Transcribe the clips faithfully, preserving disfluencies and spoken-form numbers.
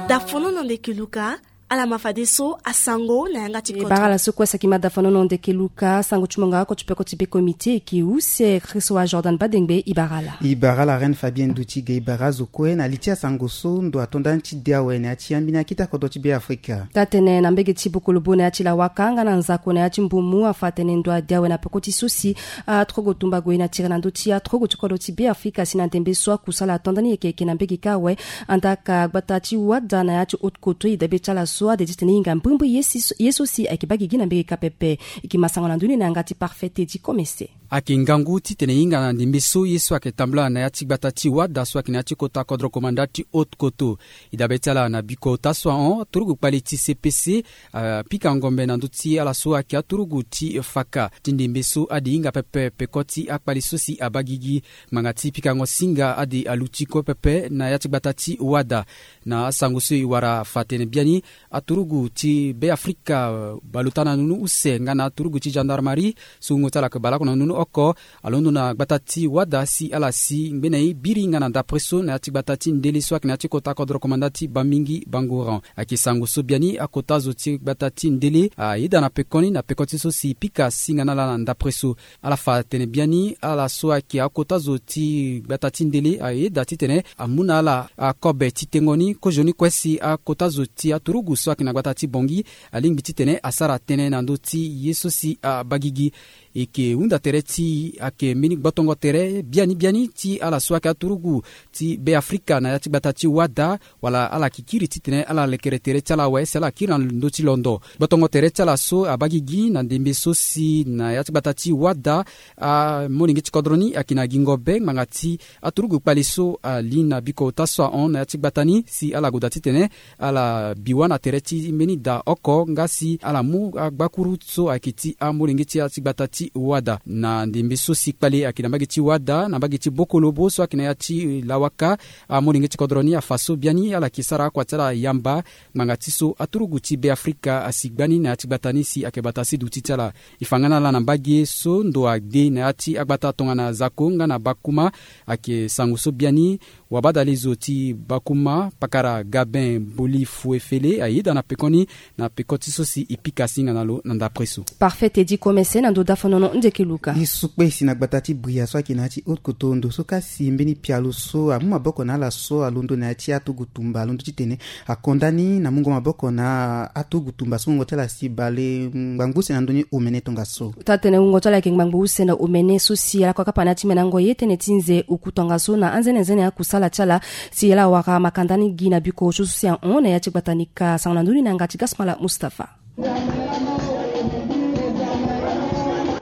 Dafono na ndeke luka. Ala ma fadeso asango na yanga ti koto. Bara ala so kue saki ma dafono na ndeke luka sango ti monga oko ti peko ti be komite eke use kristo wa jordan badengbe ibara ala. Ibara ala reine fabien duti ge ibara azo kue na li ti asango so ndo atonda ni ti de awe na ya ti ambeni akita kodro ti be afrika. Taa tene na mbege ti bokolobo na ya ti lawaka nga na nzako na ya ti mbumu afa atene ndo ade awe na peko ti so si aturugu tumba gue na tira na ndö ti aturugu ti kodro ti be afrika si na ndembe so akusala atonda ni yeke yeke na mbege kâ awe. Andaa ka gbata ti wada na ya ti haute koto e dabe ti ala so ade titene e hinga mbrimbri ye so si ayeke baa gigi na mbege kâ pepe. E ke ma sango na ndö ni na yanga ti parfait tedi komese. Ayeke ngangu titene e hinga na ndembe so ye so ayeke tambula na ya ti gbata ti wada so ayeke na ya ti kota kodro komanda ti haute koto. E dabe ti ala na biko ota so ahon aturugu kpali ti cpc apika ngombe na ndö ti ala so ayeke aturugu ti faka ti ndembe so ade hinga pepe peko ti akpali so si abaa gigi. Ngbanga ti pikango singa ade aluti kue pepe na ya ti gbata ti wada. Na asango so e wara fa tene biani aturugu ti be afrika baleota na nunu use nga na aturugu ti gendarmerie so wungo ti ala ayeke baleoko na nunu oko. Alondo na gbata ti wada si ala si ngbene e biri nga na dapre so na ya ti gbata ti ndele so ayeke na ya ti kota kodro komanda ti bambingi bangoran. Ayeke sango so biani akota zo ti gbata ti ndele ayeda na pekoni na peko ti so si pika singa na ala na dapre so. Ala fa tene biani ala so ayeke akota zo ti gbata ti ndele ayeda titene amu na ala akobe ti tengo ni kozo ni kue si akota zo ti aturugu so ayeke na gbata ti bongi alingbi titene asara tënë na ndö ti ye so si abaa gigi. E yeke hunda tere ti ayeke mbeni gbotongo tere biani biani ti ala so ayeke aturugu ti be afrika na ya ti gbata ti wada wala ala yeke kiri titene ala lekere tere ti ala awe si ala kiri na ndö ti londo. Gbotongo tere ti ala so abaa gigi na ndembe so si na ya ti gbata ti wada amolenge ti kodro ni ayeke na gingo be ngbanga ti aturugu kpali so ali na biko ota so ahon na ya ti gbata ni si ala goda titene ala bi wâ na tere ti mbeni da oko nga si ala mu agbakuru so ayeke ti amolenge ti ya ti gbata ti wada na ndembe so si kpali ayeke na mbage ti wada na mbage ti bokolobo so ayeke na ya ti lawaka. Amolenge ti kodro ni afa so biani ala yeke sara akua ti ala yamba ngbanga ti so aturugu ti be afrika asi gbani na ya ti gbata ni si ayeke bata si duti ti ala. E fa nga na ala na mbage so ndo ade na ya ti agbata tongana zako nga na bakuma. Ayeke sango so biani wabadalezo ti bakuma pakara gabin boli fuefele ayeda na pekoni na peko ti so si e pika singa na lo na ndapre so. Parfait tedi komese na ndo dafonono ndeke luka. E su kpe si na gbata ti bria so ayeke na ya ti haute koto ndo so kasi mbeni pialo so amu maboko na ala so alondo na ya ti atugu tumba alondo titene akonda ni na mungo maboko na atugu tumba so wungo ti ala si bale ngbangbo use na ndö ni omene tongaso. Taa tene wungo ti ala ayeke ngbangbo use na omene so si ala kua kapa na ya ti menango ye tënë ti nze oku tongaso na anzenenzene akusala ti ala. Si ala wara makanda ni gi na biko so so si ahon na ya ti gbata ni ka sango na ndö ni na yanga ti gasmala mustapha.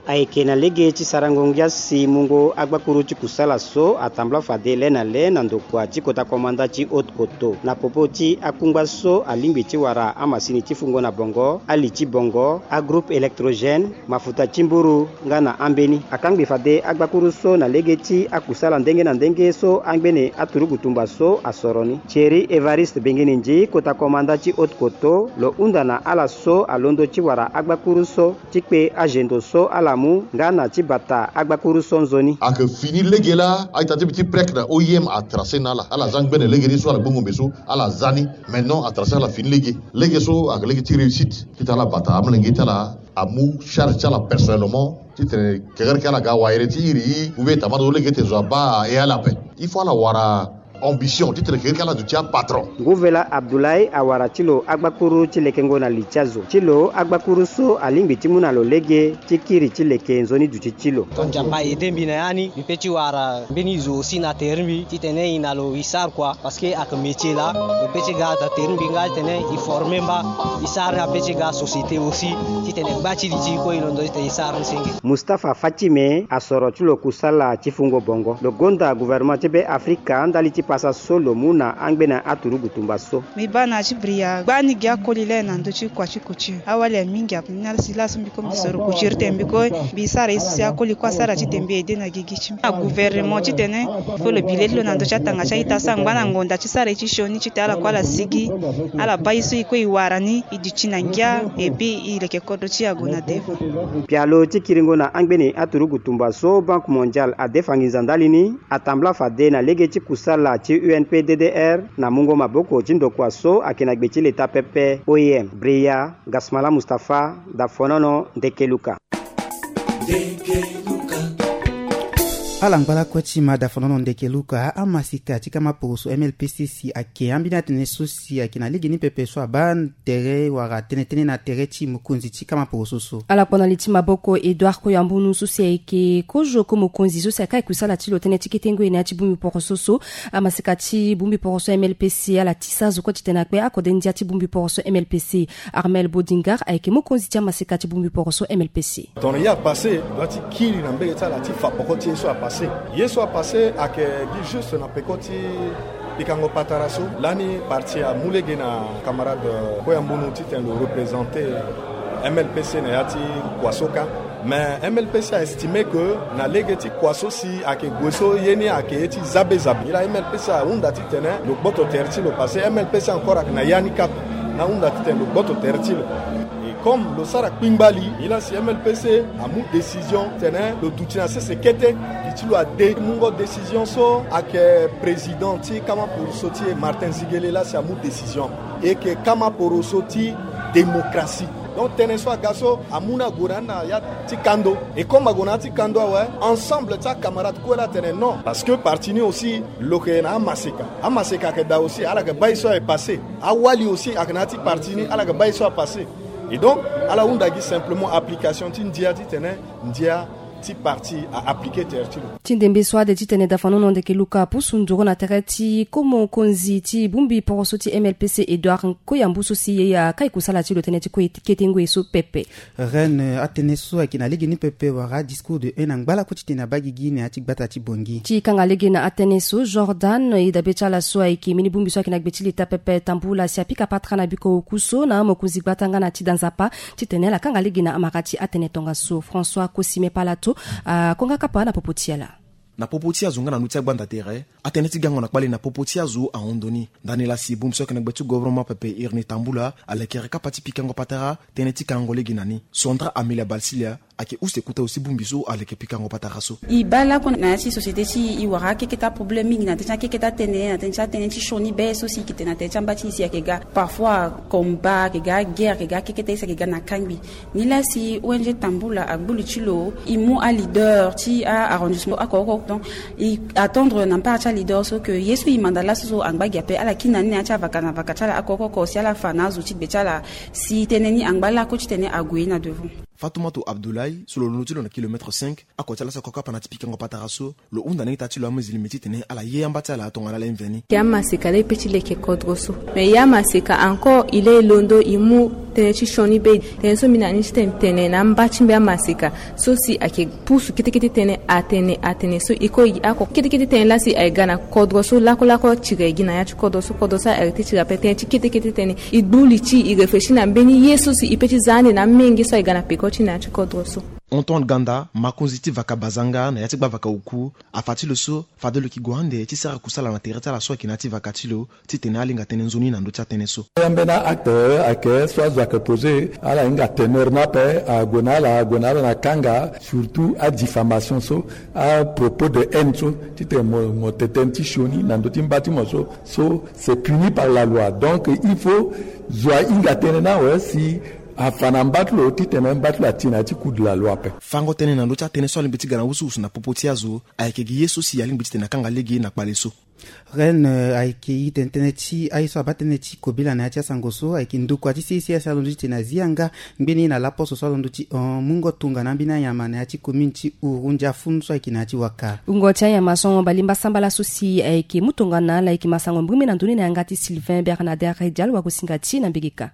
Ayeke na lege ti sarango ngia si mungo agbakuru ti kusala so atambula fade le na le na ndokua ti kota komanda ti haute koto na popo ti akungba so alingbi ti wara amasini ti fungo na bongo ali ti bongo agroupe électrogène mafuta ti mburu nga na ambeni akangbi fade agbakuru so na lege ti akusala ndenge na ndenge so angbene aturugu tumba so asoro ni thierry evariste bengenendi kota komanda ti haute koto lo hunda na ala so alondo ti wara agbakuru so ti kpe azendo so ala mu nga na ti bata agbakuru so nzoni. Ayeke fini lege laa a-ita ti mbi ti prek na oim atrase na ala ala za ngbene lege ni so ala gbongombe so ala za ni. Maintenant atrase ala fini lege lege so ayeke lege ti réussite ti tene ala bata amolenge ti ala amu charge ti ala personnellement ti tene kekereke ala ga wayere ti iri i ou bien tamata so lege ti zo abaa e ala ape. Il faut ala wara ambition ti tene kekereke ala duti apatron. Nguvela abdoulaye awara ti lo agbakuru ti lekengo na li ti azo ti lo agbakuru so alingbi ti mu na lo lege ti kiri ti leke nzoni duti ti lo. Tongana mbi aide mbi na ya ni mbi pe ti wara mbeni zo aussi na tere mbi titene e na lo e sara kua parce que ayeke métier laa. Lo pe ti ga da tere mbi nga titene e forme mba e sara ni ape ti ga société aussi titene gba ti li ti e kue e londo titene e sara ni senge. Mustapha fatime asoro ti lo kusala ti fungo bongo lo gonda gouvernement ti be afrika ndali ti Pasa so lo mu na angbene aturugu tumba so. Mbi baa na ya ti bria gbani gi akoli laa na ndö ti kua ti couture. Awali ya mingi ape ni ala si laso mbi ko mbi soro couture tene mbi ko mbi sara ye so si akoli kue asara titene mbi ede na gigi ti mbi na gouvernement titene fo lo bi lê ti lo na ndö ti atanga ti a-ita so angba na ngonda ti sara ye ti sioni titene ala kue ala sigi ala baa ye so e kue e wara ni e duti na ngia. Epui e leke kodro ti e ague na devant. Pialo ti kiringo na angbene aturugu tumba so Banque Mondiale adefa nginza ndali ni atambula fade na lege ti kusala ti U N P D D R na mungo maboko ti ndokua so ayeke na gbe ti leta pepe O I M. Bria Gasmala Mustapha, Dafonono Ndekeluka. Ala ngba lakue ti ma Dafonono Ndekeluka, amaseka ti kama poroso M L P C si ayeke ambeni atene so si ayeke na lege ni pepe so abaa tere wala tënë tënë na tere ti mokonzi ti kama poroso so. Ala kpo na li ti maboko Edouard Koyambunu so si ayeke kozo ko mokonzi so si akai kusala ti lo tënë ti kete ngoi na ya ti bongbi poroso so. Amaseka ti bongbi poroso M L P C ala tisa azo kue titene akpe akode ndia ti bongbi poroso M L P C. Armel Bodingar ayeke mokonzi ti amaseka ti bongbi poroso M L P C. Tongana ye apassé dua ti kiri na mbege ti ala ti fa poko ti ye so apassé. Ye so apassé ayeke gi juste na peko ti pikango patara so lani parti amu lege na camarade Koyambunu titene lo représenter M L P C na ya ti kua so kâ. Mais M L P C a estimé que na lege ti kua so si ayeke gue so ye ni ayeke ye ti zabe zabe. Ye laa M L P C ahunda titene lo gboto tere ti lo parce que M L P C encore ayeke na ya ni kâ na ahunda titene lo gboto tere ti lo. Et comme lo sara kpingba li, ye laa si M L P C amu décision tene lo duti na sese kete. Gi ti lo ade mungo décision so ayeke président ti kama poroso ti e Martin Ziguele laa si amu décision. E yeke kama poroso ti démocratie. Donc tënë so aga so amu ni ague na ni na ya ti kando. Et comme ague na ya ti kando awe, ensemble ti acamarade kue laa atene non. Parce que parti ni aussi lo yeke na amaseka. Amaseka ayeke daa aussi ala yeke baa ye so aye passé. Awali aussi ayeke na ya ti parti ni ala yeke baa ye so apassé. Et donc ala hunda gi simplement application ti ndia titene ndia ti parti a appliqué tere ti lo. Ti ndembe so ade titene Dafonono Ndekeluka apusu nduru na tere ti ko mokonzi ti bongbi poroso ti M L P C Edouard Koyambu so si ye akai kusala ti lo tënë ti kue kete ngoi so pepe. Reine, atënë so ayeke na lege ni pepe wala discours de haine angba lakue titene abaa gigi na ya ti gbata ti Bangui. Ti kanga lege na atënë so Jordan, e dabe ti ala so ayeke mbeni bongbi so ayeke na gbe ti leta pepe tambula si apika patara na biko oku so na amokonzi gbata nga na ti da nzapa titene ala kanga lege na amara ti atënë tongaso. François Kosime Palato akonga kapa na popo ti ala. Na popo ti azo nga na ndö ti agbanda tere, atënë ti gango na kpale na popo ti azo ahon ndo ni. Ndani laa si bongbi so ayeke na gbe ti gouvernement pepe Irene Tambula alekere kapa ti pikango patara tënë ti kangango lege na ni. Sandra Amelia Balsilia ayeke use kota aussi bongbi so aleke pikango patara so. E baa lakue na ya ti société ti e, e wara akeketa problème mingi na tënë ti akeketa tënë, na tënë ti atënë ti sioni be so si e yeke tene na tënë ti amba ti e si ayeke ga parfois combat, ayeke ga guerre, ayeke ga akeketa ye so ayeke ga na kangbi. Nilaa si O N G Tambula agbu li ti lo, e mu aleader ti a-arrondissement oko oko. Donc e attendre na mpara ti aleader so ke ye so e manda laso so angba gi ape, ala kiri na ni na ya ti avaka na vaka ti ala oko oko si ala fa na azo ti gbe ti ala si tënë ni angba lakue titene ague na devant. Fatoumata Abdoulaye so lo londo ti lo na kilomètre cinq, oko ti ala so akokapa na ti pikango patara so, lo hunda na ita ti lo amizilimi titene ala ye amba ti ala tongana ala ye mveni. Ya maseka laa e pe ti leke kodro so. Mais ya maseka encore e laa e londo e mu tënë ti sioni be. Tënë so mbi na ni titene tene na amba ti mbi amaseka so si ayeke pusu kete kete tënë atene atene so e ko e gi oko kete kete tënë laa si aye ga na kodro so lakue lakue tiri aye gi na ya ti kodro so, kodro so aye arrêté tiri ape. Tënë ti kete kete tënë e gbu li ti e réfléchir na mbeni ye so si e pe ti za ande na amenge so aye ga na peko ti na ya ti kodro so. Antoine Ganda, makonzi ti vaka bazanga na ya ti gbavaka oku, afa ti lo so fade lo yeke gue ande ti sara kusala na tere ti ala so ayeke na ya ti vaka ti lo titene alinga tënë nzoni na ndö ti atënë so. Ambeni acte ayeke so azo ayeke posé, ala hinga teneur ni ape, ague na ala, ague na ala na kanga, surtout adiffamation so, apropos de haine so, titene mo mo tene tënë ti sioni na ndö ti mba ti mo so, so c'est puni par la loi. Donc il faut zo ahinga tënë ni awe si afa na mba ti lo titene mba ti lo ati na ya ti coût de la loi ape. Fango tënë na ndö ti atënë so alingbi ti ga na wusuwusu na popo ti azo ayeke gi ye so si alingbi titene akanga lege na kpale so. Reine, eh, ayeke i tene tënë ti aye so abaa tënë ti kobela na ya ti asango so ayeke ndokua ti C I C S alondo titene azia nga ngbeni na laposo so alondo ti hon mungo tongana ambeni anyama na ya ti commune ti Ouro Ndiafun so ayeke na ya ti Waka. Wungo ti anyama so ahon balemba sambala so si ayeke mu tongana ala yeke masango mbiri me na ndoni na yanga ti Sylvain Bernadette Redial wagosinga ti na mbegeka.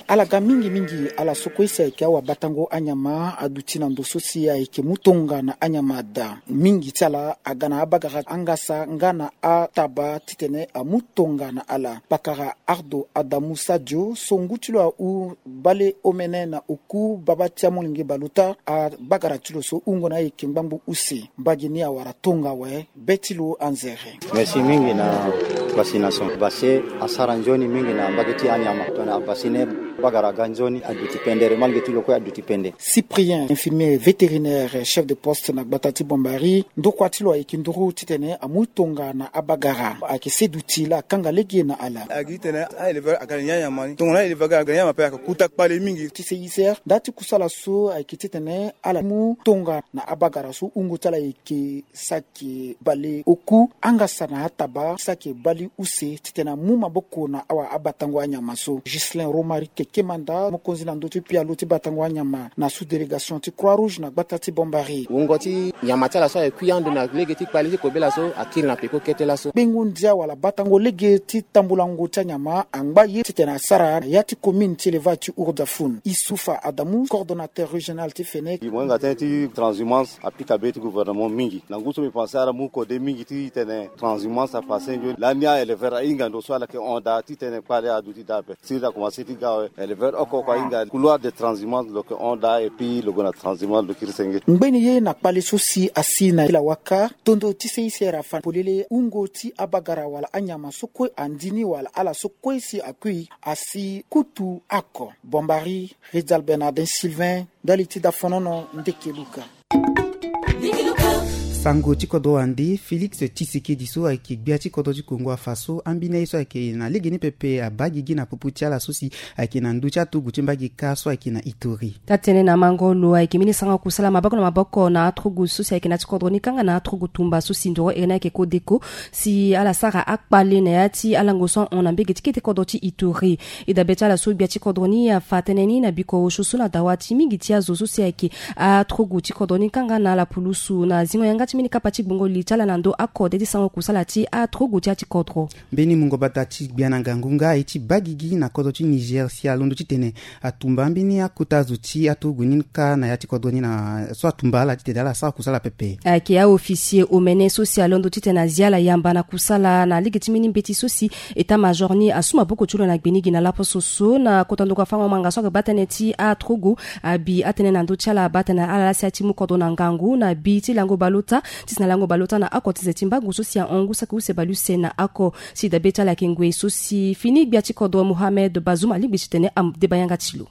Ala ga mingi mingi ala so kue si ayeke awabatango anyama aduti na ndo so si ayeke mu tonga na anyama ada. Mingi ti ala aga na abagara angasa nga na ataba titene amu tonga na ala. Pakara Ardo Adamu Sadio so ngu ti lo ahu bale omene na oku baba ti amolenge baleota, abagara ti lo so hungo na ayeke ngbangbo use. Mbage ni awara tonga awe. Be ti lo anzere. Merci mingi na vaccination. Vaccin asara nzoni mingi na mbage ti anyama. Tongana avaccine, bagara aga nzoni, aduti pendere, malgré ti lo kue aduti pende. Cyprien, infirmier vétérinaire, chef de poste na gbata ti Bombari, ndokua ti lo ayeke nduru titene amu tonga na abagara. Ayeke seduti la akanga lege na ala. Ayeke titene a-éleveur aga na ya nyama ni. Tongana a-éleveur aga na ya nyama ape ayeke kuta kpale mingi. Ti C I C R, nda ti kusala so ayeke titene ala mu tonga na abagara so hungo ti ala ayeke saki bale oku, angasa na ataba, saki bale use, titene amu maboko na awabatango anyama so. Ghislain Romaric Kemanda, mokonzi na ndö ti pialo ti batango anyama na sous-délégation ti Croix Rouge na gbata ti Bombari. Wungo ti nyama ti ala so ayeke kui ando na lege ti kpale ti kobela so akiri na peko kete laso. Gbengo ndia wala batango lege ti tambulango ti anyama angba ye titene asara na ya ti commune ti élevage ti Ourdafou. Isufa Adamu, coordonnateur régional ti Fenec. Mo hinga tënë ti transhumance apika be ti gouvernement mingi. Na ngu so mbi pense ala mu kode mingi titene transhumance apasse nzoni. Lani a-éleveur ahinga ndo so ala yeke hon daa titene kpale aduti daa ape. Siriri akomanse ti ga awe. Éleveur oko oko ahinga couloir de transhumance lo yeke hon daa et puis lo gue na transhumance lo kiri senge. Ngbeni ye na kpale so si asi na lawaka, tondo ti C I C R afa polele hungo ti abagara wala anyama so kue andi ni wala ala so kue si akui asi kutu oko. Bombari, Rizal Bernardin Sylvain, ndali ti Dafonono, Ndeke Luka. Sango ti kodro ande Félix Tshisekedi so ayeke gbia ti kodro ti Kongo afa so ambeni aye so ayeke na lege ni pepe abaa gigi na popo ti ala so si ayeke na ndö ti aturugu ti mbage kâ so ayeke na Ituri. Taa-tënë na mango lo ayeke mbeni sango kusala maboko na maboko na aturugu so si ayeke na ya ti kodro ni kanga na aturugu tumba so si ndoro ere ni ayeke Codeco, si ala sara akpale na ya ti alango so ahon na mbege ti kete kodro ti Ituri. E dabe ti ala so gbia ti kodro ni afa tënë ni na biko osio so na dawa ti mingi ti azo so si ayeke aturugu ti kodro ni kanga na ala pulusu na zingo yanga ti mbeni kapa ti gbongo li ti ala na ndö akode ti sango kusala ti aturugu ti ya ti kodro. Mbeni mungo bata ti gbia na ngangu nga aye ti baa gigi na kodro ti Niger si alondo titene atumba mbeni akota zo ti aturugu ni kâ na ya ti kodro ni na so atumba ala titene ala sara kusala pepe. Ayeke aofficier omene so si alondo titene azia ala yamba na kusala na lege ti mbeni mbeti so si état-major ni asu maboko ti lo na gbe ni gi na laposo so na kota ndokua fango manga so ayeke baa tënë ti aturugu abi atënë na ndö ti ala baa tënë na ala laa si aye ti mu kodro na ngangu na bi ti lango baleota titene alango baleota na oko ti nze ti mbangu so si ahon ngu saki use baleuse na oko. Si dabe ti ala ayeke ngoi so si fini gbia ti kodro Mohamed Bazoum alingbi titene adeba yanga ti lo.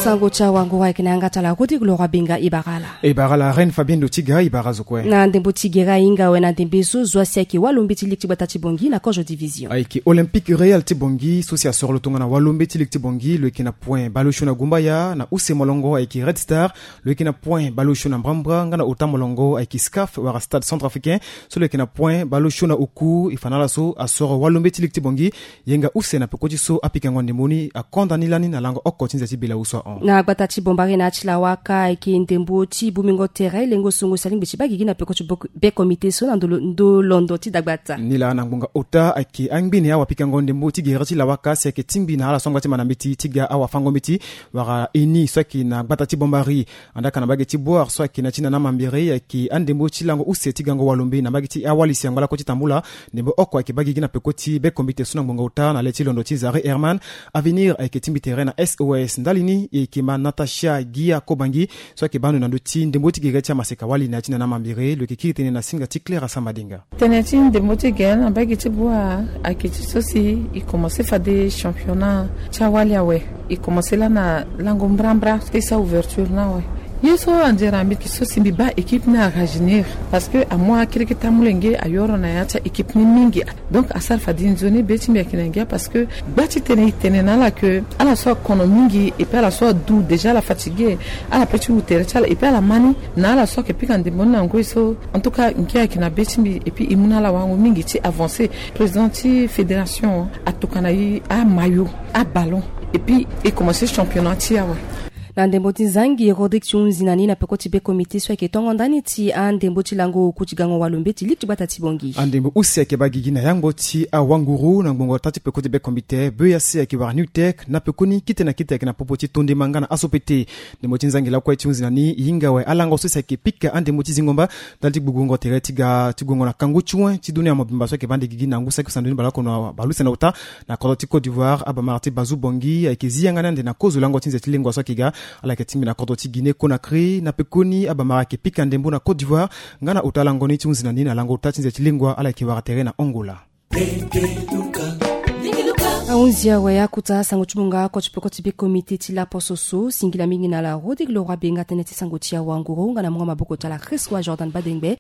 Sango ti awango ayeke na yanga ti ala Rodrigue Leroy Benga. E bara ala. E bara ala Reine Fabienne Lotiga, e bara azo kue. Na ndembo ti gere ahinga awe na ndembe so zo asi ayeke walombe ti ligue ti gbata ti Bangui na kozo division. Ayeke Olympique Real ti Bangui so si asoro lo tongana walombe ti ligue ti Bangui, lo yeke na point baleosio na Gumbaya, na use molongo ayeke Red Star, lo yeke na point baleosio na Mbrambra, nga na ota molongo ayeke SCAF wala Stade Centrafricain, so lo yeke na point baleosio na oku. E fa na ala so asoro walombe ti ligue ti Bangui, yenga use na peko ti so apikango ndembo ni akonda ni lani na lango oko ti nze ti bela usu ahon. Na gbata ti Bombari na ya ti lawaka ayeke ndembo ti bumingo tere lengo songo si alingbi ti baa gigi na peko ti be komite so na ndö londo ti dagbata. Nilaa na ngbonga ota ayeke angbene awapikango ndembo ti gere ti lawaka si ayeke tingbi na ala so angba ti mana mbeti ti ga awafango mbeti wala eni so ayeke na gbata ti Bombari. Andaa ka na mbage ti Boar so ayeke na ti nana mambere ayeke andembo ti lango use ti gango walombe na mbage ti awali si angba lakue ti tambula. Ndembo oko ayeke baa gigi na peko ti be komite so na ngbonga ota na le ti londo ti Zare Herman. Avenir ayeke tingbi tere na S O S. Ndali ni e yeke ma Natacha Gia Kobangi so ayeke baa ndo na ndö ti ndembo ti gere ti amaseka wali na ya ti nana mambere. Lo yeke kiri tënë na singa ti Claire Asamba Denga. Tënë ti ndembo ti gere na mbage ti Boar ayeke ti so si e komanse fade championnat ti awali awe. E komanse laa na lango mbrambra ti sa ouverture ni awe. Ye so anzere na mbi ayeke so si mbi baa équipe ni arajeunir parce que amu akirikiti amolenge ayoro na ya ti a-équipe ni mingi. Donc asara fade nzoni be ti mbi ayeke na ngia parce que gba ti tene e tene na ala ke ala so akono mingi et puis ala so adu déjà ala fatigué. Ala pe ti wu tere ti ala et puis ala ma ni na ala so ayeke pika ndembo ni na ngoi so. En tout cas ngia ayeke na be ti mbi et puis e mu na ala wango mingi ti avancer. Président ti fédération atokana e amayo, aballon et puis e commencer championnat ti e awe. Na ndembo ti zangi, Rodrigue ti hunzi na ni na peko ti be komite so ayeke tongo ndani ti andembo ti lango oku ti gango walo mbeti liki ti gbata ti Bangui. Andembo use ayeke baa gigi na yangbo ti awanguru na ngbongo taa ti peko ti be komite, B E A C ayeke wara Newtech na pekoni kite na kite ayeke na popo ti tondema nga na aso pete. Ndembo ti nzangi lakue ti hunzi na ni e hinga awe alango so si ayeke pika andembo ti zingo mba ndali ti gbugbungo tere ti ga ti gongo na kangu ti wen ti dunia mobimba so ayeke baa ande gigi na ngu saki sandu ni baleoko na baleuse na ota. Na kodro ti Côte d'Ivoire, abamara ti Bazou Bangui ayeke zi yanga ni ande na kozo lango ti nze ti lengua so ayeke ga. Ala yeke tingbi na kodro ti Guinée Conakry. Na pekoni abamara ayeke pika ndembo na Côte d'Ivoire nga na ota lango ni ti hunzi na ni na lango ota ti nze ti lengua ala yeke wara tere na Angola. Ahunzi awe akuta sango ti munga oko ti peko ti be komite ti laposo so singila mingi na la Rodrigue Leroy Benga tënë ti sango ti awanguru nga na munga maboko ti ala Christ wa Jordan Badengbe.